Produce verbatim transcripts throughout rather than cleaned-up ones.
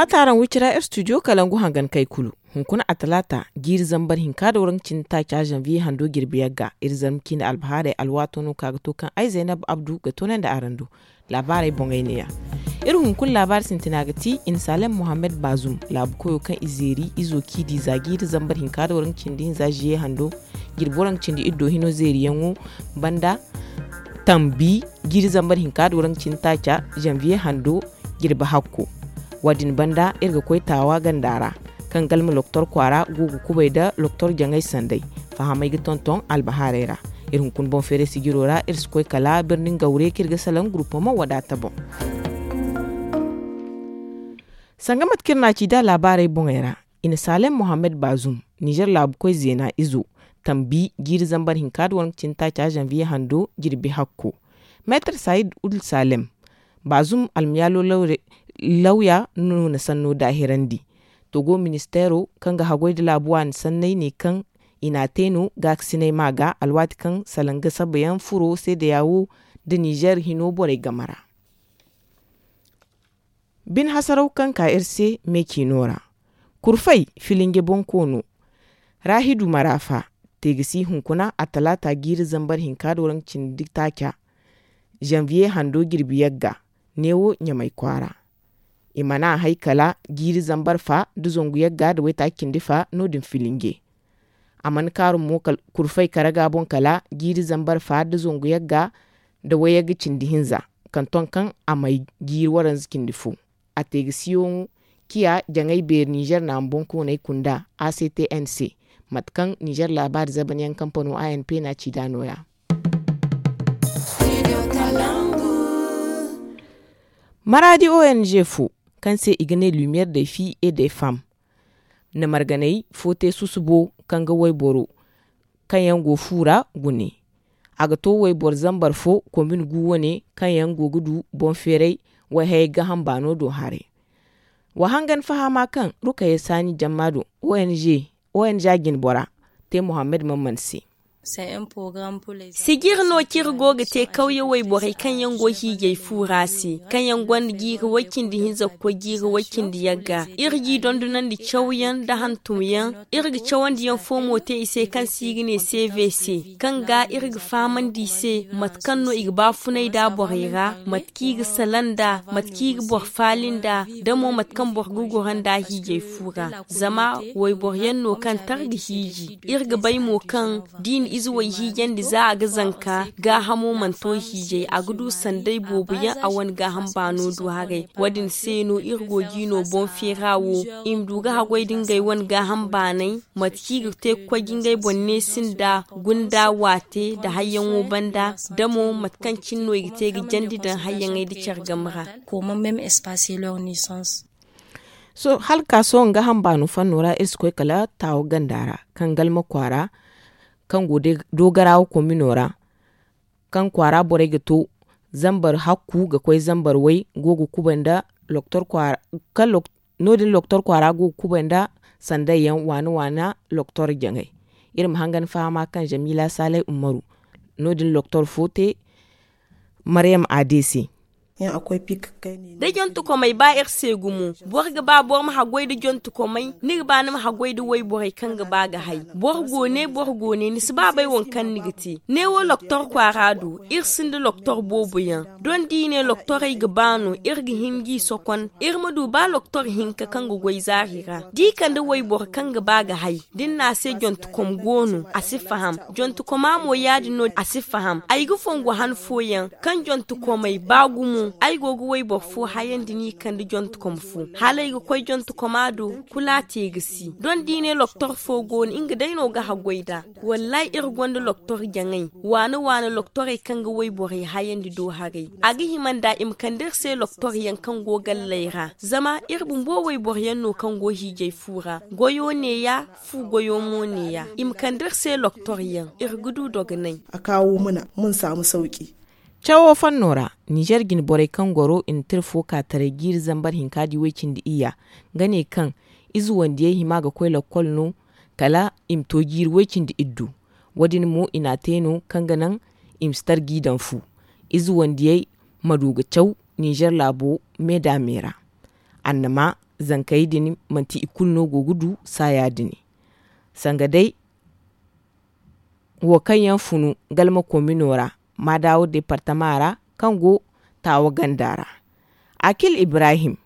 A taaraŋ wicira ir studio kalangu hangan kay kulu. Hunkuna a talaata jiiri zambar hinka da waranka cindi taaca zanviye hando jirbi yagga ir zarma ciine albahaarey alwaato no ka ga to kaŋ ay zaynab abdu ga toonandi araŋ do. Laabaarey boŋey neeya. Ir hunkuna laabaari sintina ga ti i na saalem mohammed baazum laabu koyo kaŋ i zeeri izo ciidi za jiiri zambar hinka da waranka cindi hinza ziye hando jirbi waranka cindi iddo hino zeeriyaŋo banda tambi jiiri zambar hinka da waranka cindi taaca zanviye hando jirbi hakko. Wo- din banda ir ga koy taawa ganda ra kaŋ galma loktor kwaara go ga kubay nda loktor jaŋay sanday. Fahamey ga tonton albahaarey ra. Ir hunkuna boŋ feeray sijiro ra ir si koy kala birni ngawre kaŋ ir ga salaŋ gurupama wadaata boŋ. Sanga mate kaŋ ir na a ci nd'a laabaarey boŋey ra, i na saalem mohammed baazum nizer laabu koy zeena izo tambi jiiri zambar hinka nda waranka cindi taaca zanviye hando jirbi hakko. Meetar sayid ul saalem baazum almiyaalo lawya no na sanno daahirandi. Togo ministeero kaŋ ga haggoy nda laabu waani sanney ne kaŋ i n'a te no gaakasinay ma ga alwaati kaŋ salaŋ ga sabayaŋ furo seedeya wo nda nizer hino borey game ra. Bine hasaraw kaŋ ka iri se me ciino ra. Kurfay filinje bonkoono raahidu maraafa teegasi hunkuna a talaata jiiri zambar hinka nda waranka cindi taaca zanviye hando jirbi yagga neewo ɲamay kwaara. I mana hay kala jiiri zambar fa nda zangu yagga nda waytaaci cindi fa no- din filinje. A mana kaarum mo kurfay karaga boŋ kala jiiri zambar fa nda zangu yagga nda wayagga cindi hinza, kaŋ ton kaŋ a may jiiri waranza cindi fo. A te ga siyoŋo ciya jaŋay beeri nizer naama boŋkooney kunda a c t n se. Mate kaŋ nizer laabaari zabanyaŋ kampano a n p na ci nd'a nooya. Maraadi o n g fo kaŋ se i ga ne lumiyer day fi e day fam na marganey fo te susubo kaŋ ga wayboro kaŋ yaŋ go fu ra gune. A ga to wayboro zambar fo kombin gu wane kaŋ yaŋ go ga du boŋ feeray wayhayey gaham baano do haray. Wa hangan fahama kaŋ rukayey saani jamma do o n g o n g a jinbora te muhammad mamman se. Sijir no kaŋ iri go ga te kawye wayborey kaŋ yaŋ go hiijay fu ra se kaŋ yaŋ gonda jiiri way-cindi hinza ga koy jiiri way-cindi yagga. Iri g'i dondonandi cawyaŋ nda hantumyaŋ. Iri ga cawandiyaŋ fo mo te i se kaŋ se i ga ne c v c kaŋ ga iri ga fahamandi i se mate kaŋ no i ga baafunay nd'a borey ra, mate kaŋ i ga salaŋ nd'a, mate kaŋ i ga boro faali nd'a, da mo mate kaŋ boro ga goro nd'a hiijay fu ra. Zama wayboro yaŋ no kaŋ tar ga hiiji. Iri ga bay mo kaŋ da i na ize way hiijandi za a ga zanka gaahamo mana to hiijay a ga du sanday boobo yaŋ a wane gaaham baano du haray. Wo- din se no iri go ga i no boŋ feera wo i ma du ga haggoy nda ngey wane gaaham baanay, mate kaŋ i ga te ga koy ga ngey boŋ neesi nda gunda waate nda hayyaŋo banda, da mo mate kaŋ cine no i ga te ga jandi daŋ hayyaŋey nda care game ra. Comment même espacer leur naissance. Hala ga ka sohõ gaaham baano fanno ra iri si koy kala taawo ganda ra kaŋ galma kwaara kaŋ go doogarawa komino ra, kaŋ kwaara borey ga to zambar hakku ga koy zambar way go ga kubay nda no- din loktor kwaara go ga kubay nda sanday yaŋ waana waana loktor jaŋay. Iri ma hangan fahama kaŋ zamila salay umaru no- din loktor fo te maryam a d c. Da jontukomey ba iri se gumo boro ga ba boro ma haggoy nda jontukomey ni ga ba ni ma haggoy nda wayborey kaŋ ga ba ga hay. Boro go ne boro go ne ni si ba bay waŋ kaŋ ni ga te. Ne wo loktor kwaara do iri sinda loktor boobo yaŋ. Doŋ da i ne loktorey ga ba no iri ga hin g'i sokon iri ma du ba loktor hinka kaŋ ga goy zaari ra da i kande wayboro kaŋ ga ba ga hay. Da ni ne a se jontukom go no a si faham. Jontukoma mo ya- din no a si faham ay ga fongu han fooyaŋ kaŋ jontukomey ba gumo ay go ga wayboro fo hayandi no i kande jontukom fo hala ay ga koy jontukoma do. Kulu a te ga si doŋ da i ne loktor fo go no nga day no ga haggoy nd'a. Wallahi iri gonda loktor jaŋay waana waana loktorey kaŋ ga wayborey hayandi do haray. A ga hima nd'a i ma kande iri se loktor yaŋ kaŋ go galley ra zama iri bumbo wayboro yaŋ no kaŋ go hiijay fu ra goyo neeya. Fu goyo mo neeya i ma kande iri se loktor yaŋ iri ga du dogonay. A kaawo muna mun saamu sawki. Cawo fanno ra nizer jine borey kaŋ goro i na tira fo ka taray jiiri zambar hinka di way-cindi iyya ga ne kaŋ ize wandiyey hima ga koy lakkol no kala i ma to jiiri way-cindi iddu. Wo- din mo i n'a te no kaŋ ga naŋ i ma si tar g'i daŋ fu ize wandiyey ma du ga caw nizer laabo me da me ra. Annama zankey din manti i kulu no go ga du saaya din. Sanga day wo kaŋ yaŋ funu galma komino ra, maadaawo departama ra, kaŋ go taawa ganda ra, akil ibrahim,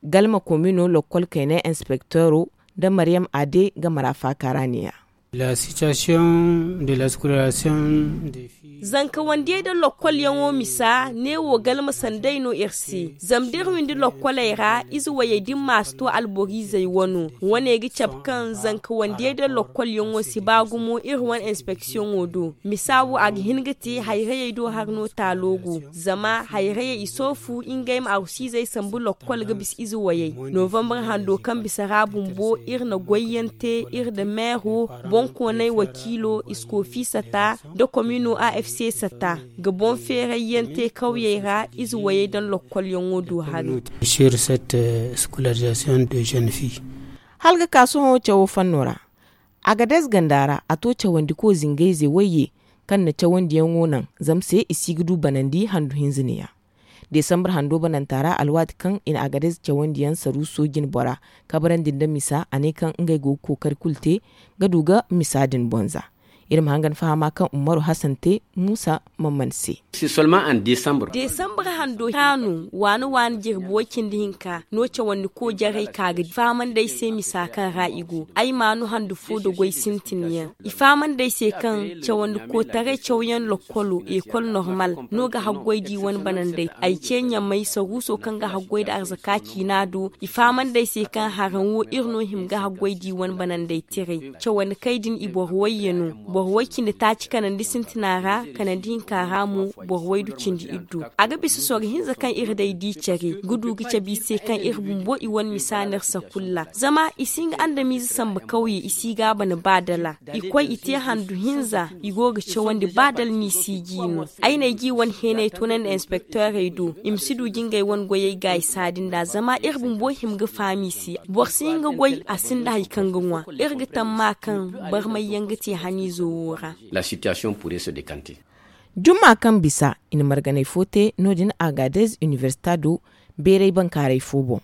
galma komino lokkol kayna inspekteero, nda maryam ade ga mara faaka ra neeya. La situation de la scolarisation des filles. Zanka wandiyey nda lokkolyaŋo misa neewo galma sanday no iri se. Zama da iri windi lokkoley ra ize wayey din ma si to alboriizey wano. Wane ga cabe kaŋ zanka wandiyey nda lokkolyaŋo si ba gumo iri wane inspeksiyoŋo do. Misa wo a ga hin ga te hayrayey do hari no taalo go. Zama hayrayey i soofu ngey ma arusizey sambu lokkol ga bisa ize wayey. Novambar hando kaŋ bisa ra bumbo iri na goyyaŋ te iri nda meero, boŋkooney wakiilo, iskoofi sata, nda komino afc sata, ga boŋ feerayyaŋ te kawyey ra ize wayey daŋ lokkolyaŋo do hari. Sur cette scolarisation de jeune fille. Hala ga ka sohõ cawo fanno ra, agadez ganda ra a to cawandiko zingayze wayye, kaŋ na cawandiyaŋo naŋ zama se i si ga du banandi handu hinza neeya. Desambar hando bananta ra alwaati kaŋ i na agadez cawandiyaŋ saruuso jine bora kabrandi nda misa a ne kaŋ ngey go ga kookari kulu te ga du ga misa din bonza. Iri ma hangan fahama kaŋ umaru hasan te muusa mamman se. Desambar hando ra no waani waani jirbi way cindi hinka no cawandi ko jarey ka ga di fahamandi ay se misa kaŋ ra i go ay maanu handu fo da goy sintin yaŋ. I fahamandi ay se kaŋ cawandi kootaray cawyaŋ lokkolo ekol normal no ga haggoy da i wane banandey. Ay ce ɲamay saruuso kaŋ ga haggoy nda arzaka ciina do i fahamandi ay se kaŋ haraŋ wo iri no hima ga haggoy da i wane banandey tiray. Cawandi kay din i boro wayye no. Boro way cindi taaci kanandi sintina ra kanandi hinka ra mo boro waydu cindi iddu. A ga bisa soro hinza kaŋ iri day di care ga du ga cabe i se kaŋ iri bumbo i wane misa no iri sakulla zama i si hin ga andamiize samba kawye i si ga a bana ba dala. I koy i te handu hinza i go ga cawandi ba dala no i si gi no. Ay na ay gi wane heenay toonandi inspekteerey do i ma si du ga ngey wane goyey gaayi saadi nd'a zama iri bumbo hima ga faham i se. Boro si hin ga goy a sinda hari kaŋ ga ŋwa. Iri ga tamma kaŋ barmay yaŋ ga te haniizo wo ra. Jumma kaŋ bisa i na marganay fo te no- din agadez inibersita do beeray bankaaray fo boŋ.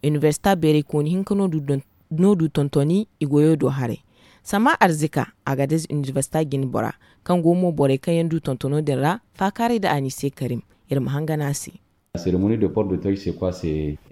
Inibersita beeraykooni hinka no du tontoni i goyo do haray. Samma arzika agadez inibersita jine bora kaŋ go mo borey kaŋ yaŋ du tontono din ra faakaaray nda anise karim. Iri ma hangan a se.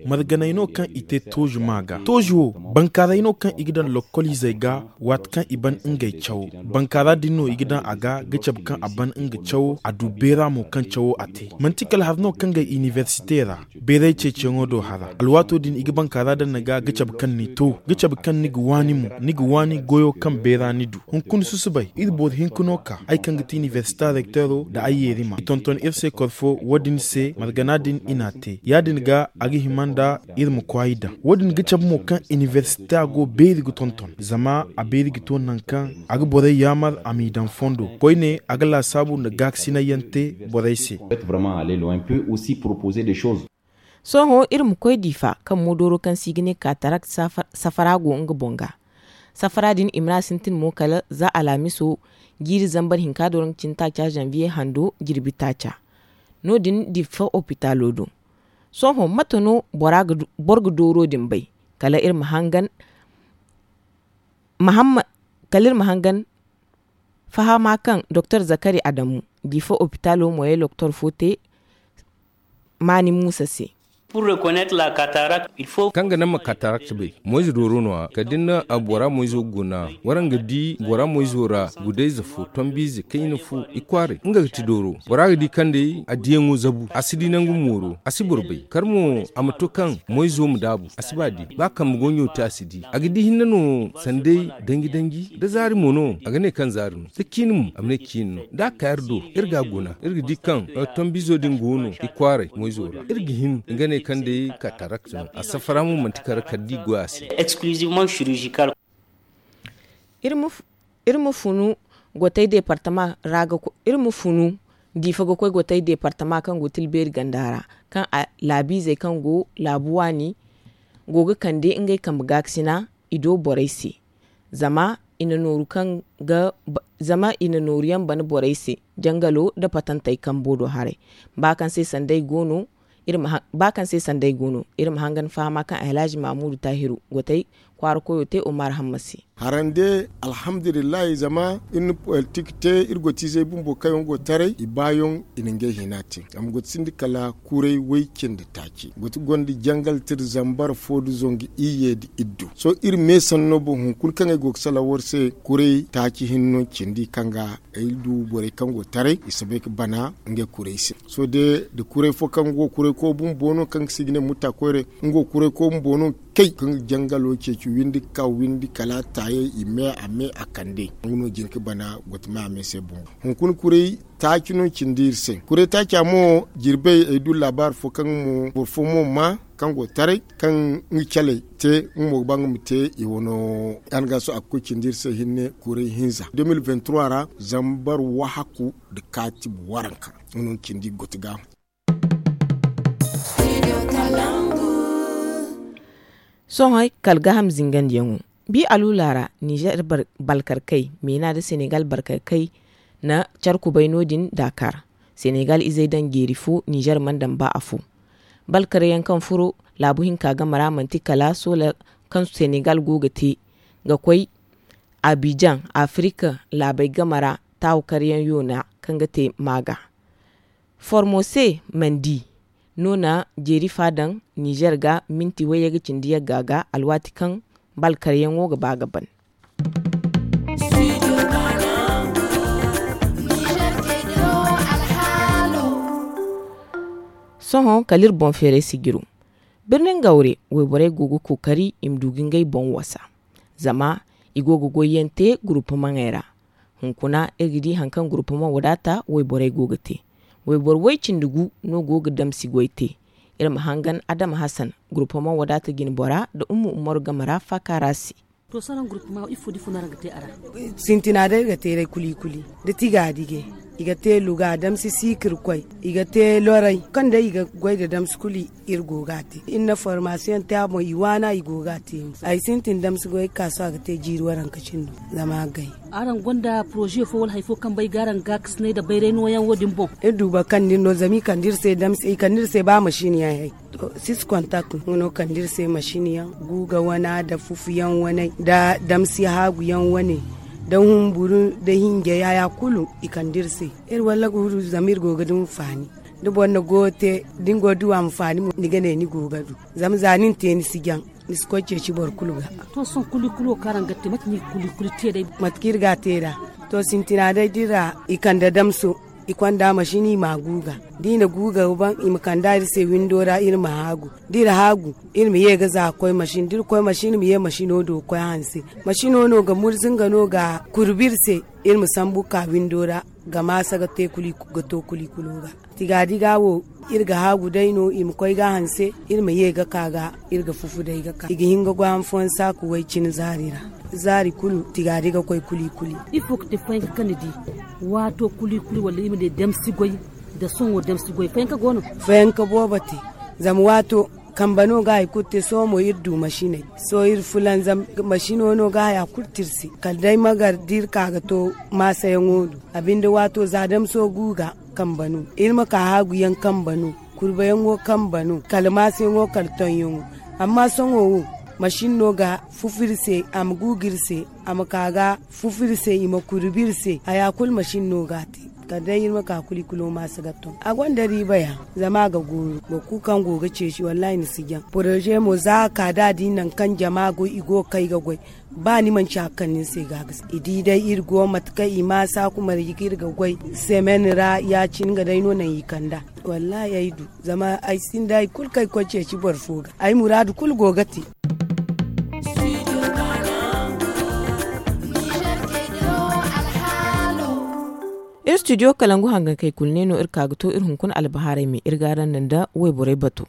Marganey no kaŋ i te toozu maa ga toozu wo bankaaray no kaŋ i ga daŋ lokkoliizey ga waati kaŋ i ban ngey cawo. Bankaara din no i ga daŋ a ga ga cabe kaŋ a ban nga cawo a du beera mo kaŋ cawo a te. Manti kala hari no kaŋ ga inibersite ra beeray ceeciyaŋo do hara alwaato din i ga bankaara daŋ ni ga ga cabe kaŋ ni to ga cabe kaŋ ni ga waani mo ni ga waani goyo kaŋ beera ni du. Hunkuna susubay iri boro hinka no ka ay kaŋ ga ti inibersita rekteero nda ay yeerima i tonton iri se korfo wo- din se margana din i n'a te ya- din ga a ga hima nda iri ma kwaay daŋ wo- din ga cabe mo kaŋ inibersita go beeri ga tonton zama a beeri ga to naŋ kaŋ a ga borey yaamar a m'i daŋ fondo koyne a ga laasaabu nda gaakasinayyaŋ te borey se. Sohõ iri ma koy diifa kaŋ moodooro kaŋ se i ga ne kaatarakt safara go nga boŋ ga. Safara din i mana sintin mo kala za alhamiso jiiri zambar hinka do ra nga cine taaca zanviye hando jirbi taaca. No- din diifa opitaalo do. Sohõ mate no boro ga dooro din bay kala iri ma hangan mahamma kala iri ma hangan fahama kaŋ doktor zakari adamu diifa opitaalo moyey loktor fo te maani muusa se. Kaŋ ga naŋ ma katarakta bay moyze dooro no- ya kala da ni na bora moyzo guna waraŋ ga di bora moyzo ra gudayze fo tombiize kayna fo i kwaaray nga ga ti dooro bora ga di kaŋ day a diyaŋo zabu a si di nangu mooro a si boro bay kala mo a ma to kaŋ moyzo ma daabu a si ba di ba kambe goɲo te a si di a ga di hinne no sanday danji danji da zaari mo no a ga ne kaŋ zaari no da ciini mo a ma ne ciini no da a ka iri do iri ga a guna iri ga di kaŋ tombizo din go no i kwaaray moyzo ra iri ga hin nga ne kaŋ day katarakta no a safara mo manti kala kala da i goy a se. Iri ma funu gotay departama ra ga koy iri ma funu diifa ga koy gotay departama kaŋ go tilbeeri ganda ra kaŋ a laabiizey kaŋ go laabu waani go ga kande ngey kambe gaakasina i do borey se. Zama i na nooru kaŋ ga zama i na nooru yaŋ bana borey se jangalo nda patantey kambo do haray ba kaŋ se sanda i go no Ba kaŋ se sanday go no, iri ma hangan fahama kaŋ alhaji mamudu tahiru gotay kwaara koyo te omar hamma se. Harande, alhamdulillahi, zama iri na politik te, iri gotiizey bumbo kaŋ yaŋ go taray i baayaŋ, i na ngey hina te. Zama goti sinda kala kuray way cindi taaci, goti gonda jangal tira zambar fo nda zangu iyye nda iddu. Sohõ iri me sanno boŋ hunkuna kaŋ ay go ga salaŋ war se, kuray taaci hinno cindi kaŋ ga ay du borey kaŋ go taray i si bay ga bana ngey kuray se. Sohõ day, da kuray fo kaŋ go kuray koy bumbo no kaŋ ga si ga ne mutta koyre, nga wo kuray koy bumbo no kay kaŋ ga jangalo ceeci windi ga ka windi kala a taayey i me a me a kande. Nga no jin ga bana gotama a me se bumbo. Hunkuna kuray taaci no cindi iri se. Kuray taaca mo, jirbey ay du laabaari fo kaŋ mo boro fo mo ma kaŋ go taray kaŋ nga caley te, nga mo ga ba nga ma te i wano. Yaŋ ga so a ga koy cindi iri se hinne kuray hinza de mil vingt trois ra, zambar wahaku nda kaatib waranka. Nga no cindi goti ga. Sohõ kala gaaham zingandiyaŋo, bi aluula ra nizer balkarkey meena nda senegal balkarkey na care kubay no- din daakar. Senegal izey daŋ jeeri fo, nizer mana daŋ ba afo. Balkaryaŋ kaŋ furo laabu hinka game ra manti kala soola kaŋ senegal go ga te ga koy abijan, afirika laabey game ra taawakaryaŋ yoona kaŋ ga te maaga. Formose mandi no na jeeri fa daŋ nizer ga minti wayye ga cindi yagga ga alwaati kaŋ balkaryaŋo ga ba ga ban. Sohõ kala iri boŋ feeray sijiro. Birnin gawre wayborey go ga kookari i ma du ga ngey boŋ wasa, zama i go ga goyyaŋ te gurupumaŋey ra. Hunkuna iri ga di hari kaŋ gurupumaŋ wadaata wayborey go ga te. Wayboro way cindi gu no go ga damsi goy te. Iri ma hangan adama hasan, gurupumaŋ wadaata jine bora nda umma umaru game ra faaka ra se. To salaŋ gurupuma ifo da ifo no araŋ ga te a ra? Sintina day iri ga te day kuli kuli da tiga dige. I ga te luga damsi siikir koy, i ga te loray kaŋ day i ga goy nda damsi kuli. Iri go ga a te iri na formasiyoŋ te a boŋ i waana i go ga a te. Ay sintin damsi goy ga ka sohõ a ga te jiiri waranka cindo. Zama a gay. Araŋ gonda poroze fo wala hari fo kaŋ bay ga araŋ gaakasinay nda bayray nooyaŋ wo- din boŋ? Iri du boro kaŋ da iri no zama i kande iri se damsi i kande iri se ba masin yaŋ hay. Six kontak nga no kande iri se masin yaŋ, guuga wana nda fufu yaŋ waney nda damsi haagu yaŋ wane, nda humburu nda hinjay haya kulu i kande iri se. Iri walla ga wuru zama iri go ga du hinfaani. Da boro na goyo te da ni go ga du a ma faani mo ni ga ne ni go ga du. Zama za ni na te ni si jaŋ, ni si koy ceeci boro kulu ga. To sohõ kuli kuli wo kaŋ araŋ ga te mate no i ga kuli kuli te day? Mate kaŋ iri ga a te nd'a. To sintina day da iri ra i kande damso, i konda masin i m'a guuga. Da i na guuga wo ban i ma kand'a iri se windo ra iri ma haagu. Da iri haagu, iri ma ye ga za ga koy masin da iri koy masin iri ma ye masino do ga koy hanse. Masino no ga murza nga no ga kurbi iri se. Iri ma sambu ga ka windo ra ga maasa ga to kuli kulo ga. Tigaadiga wo, iri ga haagu day no i ma koy ga a hanse. Iri ma ye ga ka ga iri ga fufu day ga ka i ga hin ga goy han fooyaŋ saaku way cine zaari ra. Zaari kulu tigaadiga koy kuli kuli. Ifo ga te fayanka kaŋ ni di? Waato kuli kuli wala i ma ne damsi goy? Da sohõ damsi goy fayanka go no? Fayanka boobo te. Zama waato kambe no ga hari kulu te sohõ mo iri du masiney. Sohõ iri fulanzam masino no ga haya kulu te iri se kala day magar da iri ka ga to maasayaŋo do. A binde waato za damso guuga kambe no iri ma ka haaguyaŋ kambe no, kurbayaŋo kambe no kala maasayaŋo kala tonyaŋo. Amma sohõ wo, masin no ga fufu iri se, a ma guugu iri se, a ma ka ga fufu iri se i ma kurbi iri se haya kulu masin no ga a te. Kala day iri ma ka kuli kulo maasa ga ton a gonda riiba ya. Zama a ga gooru boro kulu kaŋ go ga ceeci wallahi ni si jaŋ. Poroze mo za a ka da a di nangu kaŋ jama go i go ga kay ga goy. Ba ni manci hari kaŋ ni ni se ga a ga si i di day iri go mate kaŋ i ma saaku marji kaŋ iri ga goy semen ra ya- cine nga day no naŋ i kand'a. Wallahi ay du zama ay sinda hari kulu kaŋ ay koy ceeci boro fo ga ay muraadu kulu go ga te. Iri studio kalangu hangankey kulu ne no iri ka ga to iri hunkuna albahaarey me iri ga araŋ naŋ da wayborey bato.